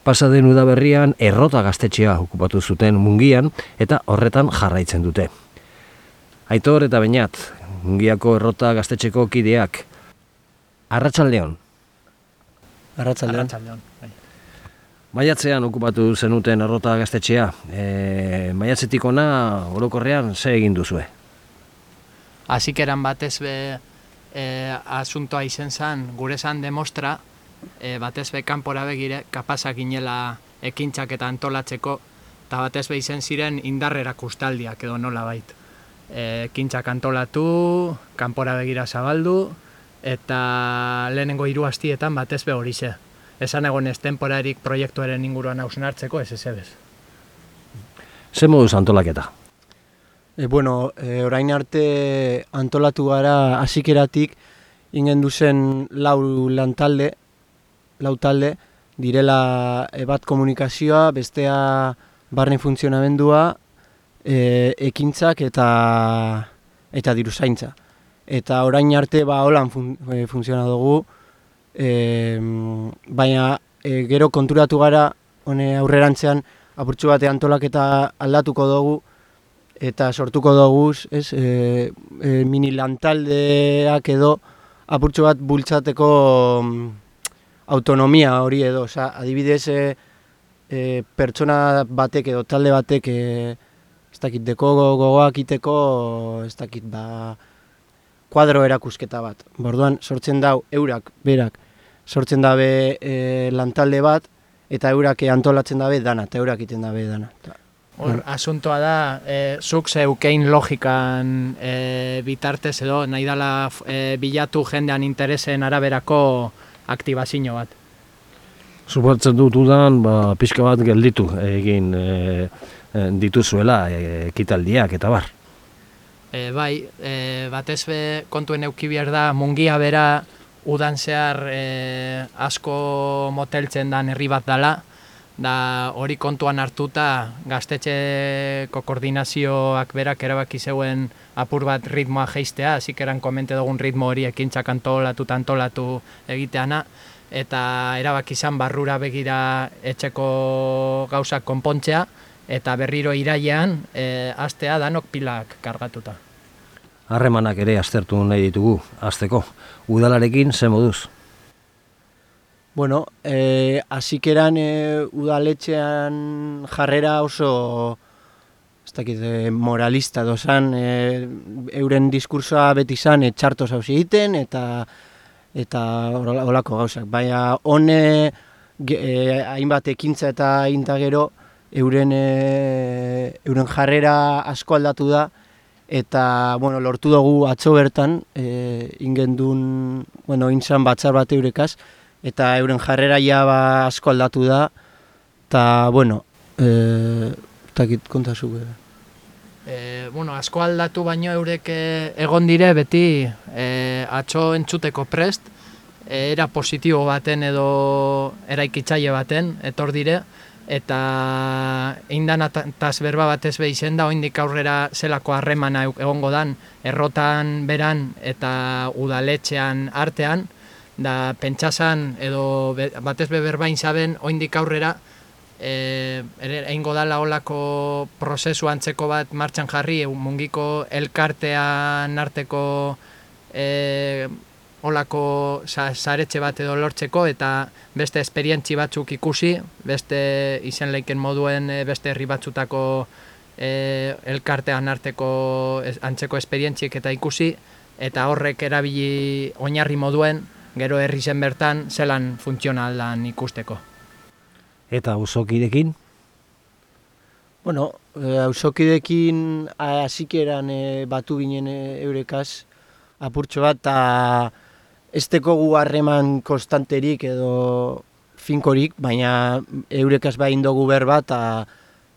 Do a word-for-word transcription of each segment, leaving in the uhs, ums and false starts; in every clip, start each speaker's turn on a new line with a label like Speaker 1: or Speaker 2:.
Speaker 1: Pasa den udaberrian Errota gaztetxea okupatu zuten Mungian eta horretan jarraitzen dute. Aitor eta Beñat, Mungiako Errota gaztetxeko kideak. Arratsaldeon.
Speaker 2: Arratsaldeon.
Speaker 3: Arratsaldeon.
Speaker 1: Maiatzean okupatu zenuten Errota gaztetxea. E, maiatzetik ona orokorrean ze egin duzue?
Speaker 3: Hasikeran batez be e, asuntoa izen zan, gure zan demostra, e, batez be kanpora begire, kapazak ginela ekintzak eta antolatzeko, eta batez be izen ziren indarrera kustaldiak edo nola bait. E, ekintzak antolatu, kanpora begira zabaldu, eta lehenengo hiru astietan batez be horixe. Esan egon ez temporarik proiektuaren inguruan hausnartzeko ez ezebez.
Speaker 1: Ze moduz antolaketa?
Speaker 2: E, bueno, e, orain arte antolatu gara hasikeratik ingen duzen lau lantalde, lau talde, direla e, bat komunikazioa, bestea barne funtzionamendua, e, ekintzak eta eta diruzaintza. Eta orain arte ba holan fun, e, funtziona dugu, e, baina e, gero konturatu gara hone aurrerantzean apurtxo bate antolaketa aldatuko dugu eta sortuko dugu, ez, e, e, mini lantaldeak edo apurtxo bat bultzateko autonomia hori edo, oza, adibidez e, e, pertsona batek edo talde batek e, ez dakit deko gogoak iteko, ez dakit ba kuadro erakusketa bat. Borduan sortzen dau eurak, berak, sortzen dabe e, lantalde bat eta eurak antolatzen dabe dana, eta eurak iten dabe dana.
Speaker 3: Hor, asuntoa da, e, zuk zeukein logikan e, bitartez edo, nahi dala e, bilatu jendean interesen araberako aktibazio bat.
Speaker 1: Suposatzen dut udan, ba, pixka bat gelditu egin e, e, dituzuela e, ekitaldiak eta bar.
Speaker 3: E, bai, e, batez be kontuen euki behar da, Mungia bera udan zehar e, asko moteltzen dan herri bat dala, da hori kontuan hartuta gaztetxeko koordinazioak berak erabaki zeuen apur bat ritmoa jeistea, hasik eran komente dugun ritmo hori ekintzak antolatu antolatu egiteana, eta erabaki izan barrura begira etxeko gauzak konpontzea, eta berriro irailean e, astea danok pilak kargatuta.
Speaker 1: Harremanak ere aztertu nahi ditugu, hasteko. Udalarekin ze moduz?
Speaker 2: Bueno, eh, hasikeran eh, udaletxean jarrera oso ez dakit, eh, moralista dozan, eh, euren diskursoa beti izan eh, txartos hauz egiten eta eta holako gauzak. Baina hone eh, hainbat ekintza eta inta gero euren, eh, euren jarrera asko aldatu da eta bueno, lortu dugu atzo bertan eh, ingendun, bueno, intzan batzar bat eurekaz, eta euren jarrera ja ba asko aldatu da, eta, bueno, e, takit kontazu.
Speaker 3: E, bueno, asko aldatu baino eurek egon dire beti e, atxo entzuteko prest, e, era positibo baten edo eraikitzaile baten etor dire, eta eindan ataz berba batez behizen da, oindik aurrera zelako harremana egongo dan, Errotan beran eta udaletxean artean, da pentsasan edo batez be berbain zaben oindik aurrera e, egingo dala olako prozesu antzeko bat martxan jarri, Mungiko elkartean arteko e, olako saretxe bat edo lortzeko eta beste esperientzi batzuk ikusi, beste izen leiken moduen beste herri batzutako e, elkartean arteko antzeko esperientziek eta ikusi, eta horrek erabili oinarri moduen gero herri zen bertan zelan funtzionaldan ikusteko.
Speaker 1: Eta auzokidekin?
Speaker 2: Bueno, auzokidekin hasikeran e, batu ginen e, eurekaz apurtxo bat, eta ez tekogu harreman konstanterik edo finkorik, baina eurekaz bain dugu berba eta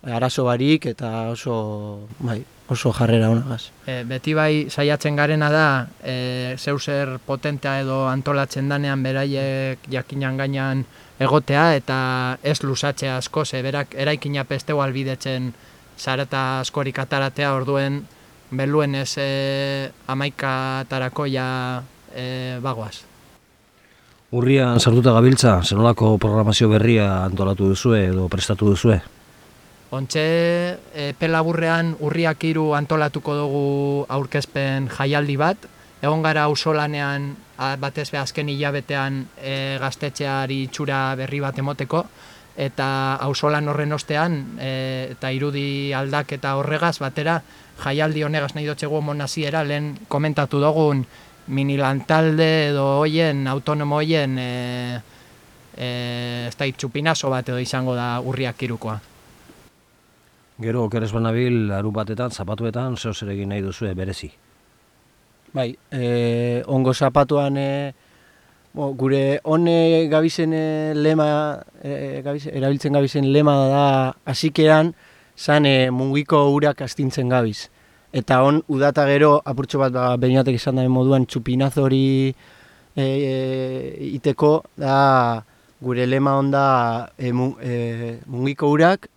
Speaker 2: arazo barik eta oso, bai, oso jarrera honagaz.
Speaker 3: E, beti bai saiatzen garena da, e, zeuser potentea edo antolatzen danean beraiek jakinan gainan egotea eta ez lusatzea asko, ze berak eraikina pesteu albidetzen zarata askorik ataratea, orduen beluen ez e, amaikatarako ja e, bagoaz.
Speaker 1: Urrian sartuta gabiltza, zenolako programazio berria antolatu duzue edo prestatu duzue?
Speaker 3: Ontxe, epe laburrean urriak hiru antolatuko dugu aurkezpen jaialdi bat. Egon gara auzolanean batez be azken hilabetean e, gaztetxeari itxura berri bat emoteko, eta auzolan horren ostean e, eta irudi aldak eta horregaz batera jaialdi honegaz nahi dutxegu monaziera lehen komentatu dugun mini lantalde edo hoien, autonomo hoien e, e, ez da txupinazo bat edo izango da urriak hirukoa.
Speaker 1: Gero, okeres banabil, larun batetan, zapatuetan, zeo zer egin nahi duzue berezi?
Speaker 2: Bai, e, ongo zapatuan e, bo, gure hone gabizen e, lema, e, gabizen, erabiltzen gabizen lema da hasikeran zan e, mungiko urak astintzen gabiz. Eta hon udata gero apurtxo bat ba, beinatek esan da moduan txupinazo hori e, e, iteko da gure lema onda e, mu, e, mungiko urak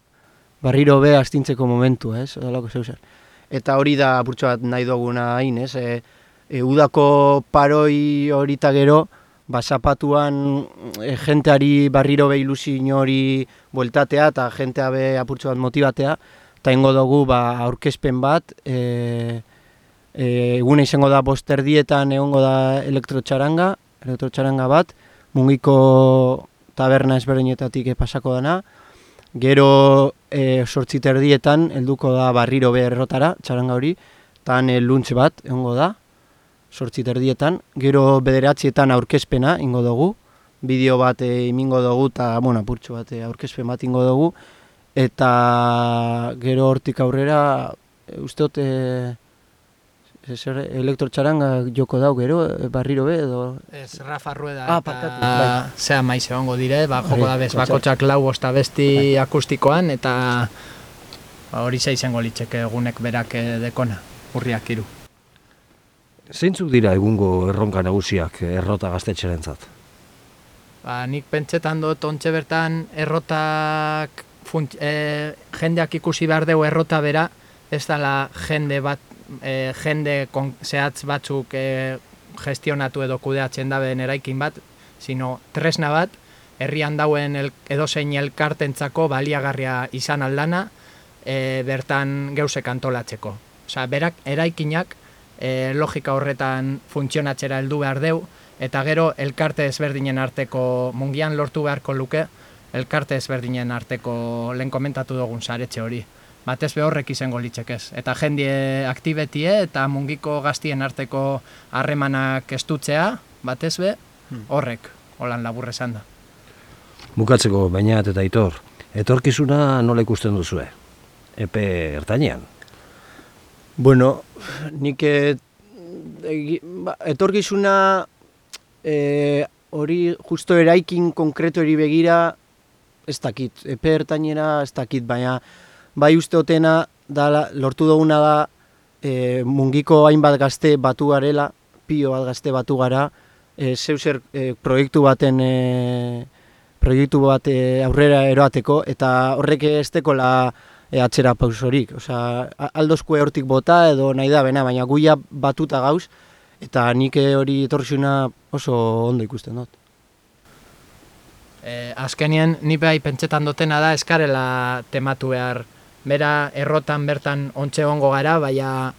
Speaker 2: barriro be astintzeko momentu, ez? Odalako zeuzer. Eta hori da apurtxo bat nahi duguna hain, ez? E, e, udako paroi horita gero, ba, zapatuan e, jenteari barriro be ilusio hori bueltatea eta jentea be apurtxo bat motibatea, eta ingo dugu ba, aurkezpen bat, e, e, eguna izango da bosterdietan egongo da elektrotxaranga, elektrotxaranga bat, mungiko taberna ezberdinetatik pasako dana, gero e, sortzit erdietan helduko da barriro be errotara, txaranga hori, eta e, luntz bat egongo da, sortzit erdietan, gero bederatzietan aurkezpena ingo dugu, bideo bat e, imingo dugu, eta bueno, apurtxo bat e, aurkezpen bat ingo dugu, eta gero hortik aurrera, e, usteot, e, elektrotxaranga joko dau gero, e, barriro be, edo...
Speaker 3: Ez, Rafa Rueda
Speaker 2: ah,
Speaker 3: eta
Speaker 2: bai.
Speaker 3: zea maiz egongo dire, ba, joko da bez, bakotxak lau bosta besti akustikoan, eta ba, hori za izango litzeke egunek berak dekona, urriak hiru.
Speaker 1: Zeintzuk dira egungo erronka nagusiak errota gaztetxerentzat?
Speaker 3: Ba, nik pentsetan dut ontxe bertan errotak, funt, e, jendeak ikusi behar dugu errota bera, ez dela jende bat, E, jende kon, zehatz batzuk e, gestionatu edo kudeatzen daben eraikin bat, sino tresna bat, herrian dauen el, edozein elkartentzako baliagarria izan aldana, e, bertan geusek antolatzeko. Osea, berak eraikinak e, logika horretan funtzionatzera heldu behar deu, eta gero elkarte ezberdinen arteko, mungian lortu beharko luke, elkarte ezberdinen arteko lehen komentatu dugun saretxe hori. Batez be horrek izango litzekez. Eta jendie aktibetie eta mungiko gaztien arteko harremanak estutzea, batez be horrek, holan labur esan da.
Speaker 1: Bukatzeko, Beñat eta Aitor, etorkizuna nola ikusten duzue? Epe ertainean?
Speaker 2: Bueno, nik e, e, ba, etorkizuna e, hori justo eraikin konkreto hori begira ez dakit, epe ertainera ez dakit, baina bai uste otena, da, lortu duguna da e, mungiko hainbat gazte batu garela, pio bat gazte batu gara, e, zeuser e, proiektu baten e, proiektu bat e, aurrera eroateko, eta horrek ez tekola e, atzera pausorik. Osea, aldozkue hortik bota edo nahi da bena, baina guia batuta gauz, eta nik hori etorrizuna oso ondo ikusten dut.
Speaker 3: E, azkenien, ni behai pentsetan dutena da eskarela tematu behar. Bera errotan bertan ontxe ongo gara, baina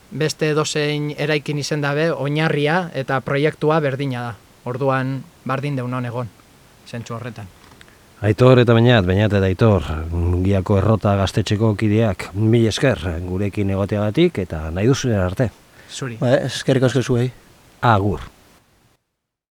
Speaker 3: beste dozein eraikin izen dabe, oinarria eta proiektua berdina da. Orduan, bardin deunon egon, zentsu horretan.
Speaker 1: Aitor eta Beñat, Beñat eta Aitor, Mungiako errota gaztetxeko kideak, mil esker gurekin egoteagatik eta nahi duzuen arte.
Speaker 3: Zuri.
Speaker 2: Ba, eskerrik asko zuei.
Speaker 1: Agur.